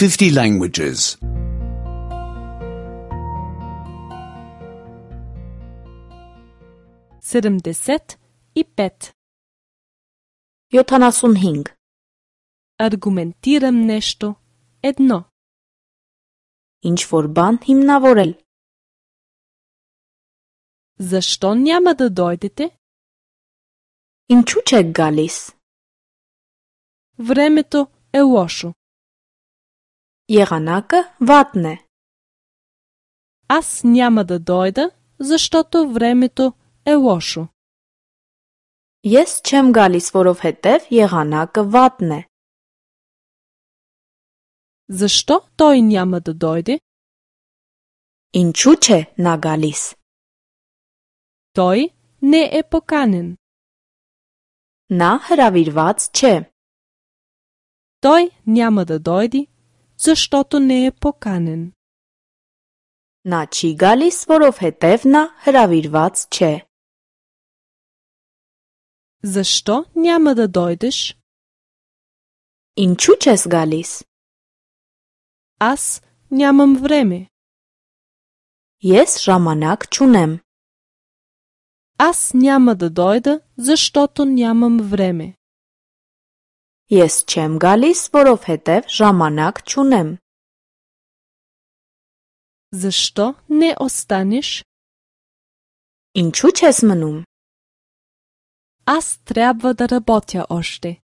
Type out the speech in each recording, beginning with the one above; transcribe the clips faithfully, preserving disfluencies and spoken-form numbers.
fifty languages. седемдесет и пет. յոթանասունհինգ. Аргументирам нещо. Едно. Ինչ-որ բան հիմնավորել. Защо няма да дойдете? Ինչու չեք գալիս? Времето е лошо. Եղանակը վատն է. Аз няма да дойда, защото времето е лошо. Ես չեմ գալիս, որովհետև եղանակը վատն է. Защо той няма да дойде? Ինչու չէ նա գալիս? Той не е поканен. Նա հրավիրված չէ. Той няма да дойде, защото не е поканен. Նա չի գալիս, որովհետև նա հրավիրված չէ. Защо няма да дойдеш? Ինչու չես գալիս? Аз нямам време. Ես ժամանակ չունեմ. Аз няма да дойда, защото нямам време. Ես չեմ գալիս, որովհետև ժամանակ չունեմ. Защо не останеш? Ինչու չես մնում? Аз трябва да работя още.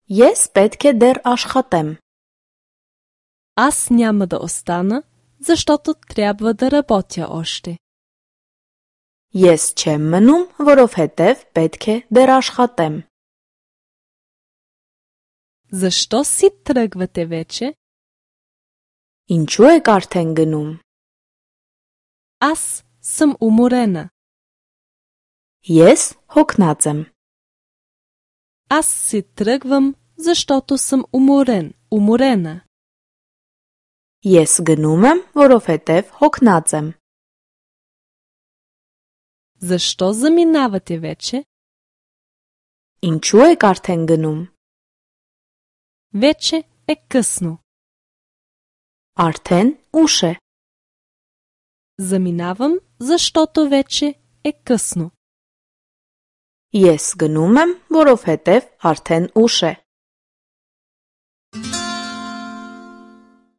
Ես պետք է դեռ աշխատեմ. Аз няма да остана, защото трябва да работя още. Ես չեմ մնում, որովհետև պետք է դեռ աշխատեմ. Защо си тръгвате вече? Ինչու եք արդեն գնում? Аз съм уморена. Ես հոգնած եմ. Аз си тръгвам, защото съм уморен, уморена. Ես գնում եմ, որովհետև հոգնած եմ. Защо заминавате вече? Ինչու եք արդեն գնում? Вече е късно. Արդեն ուշ է. Заминавам, защото вече е късно. Ես գնում եմ, որովհետև արդեն ուշ է.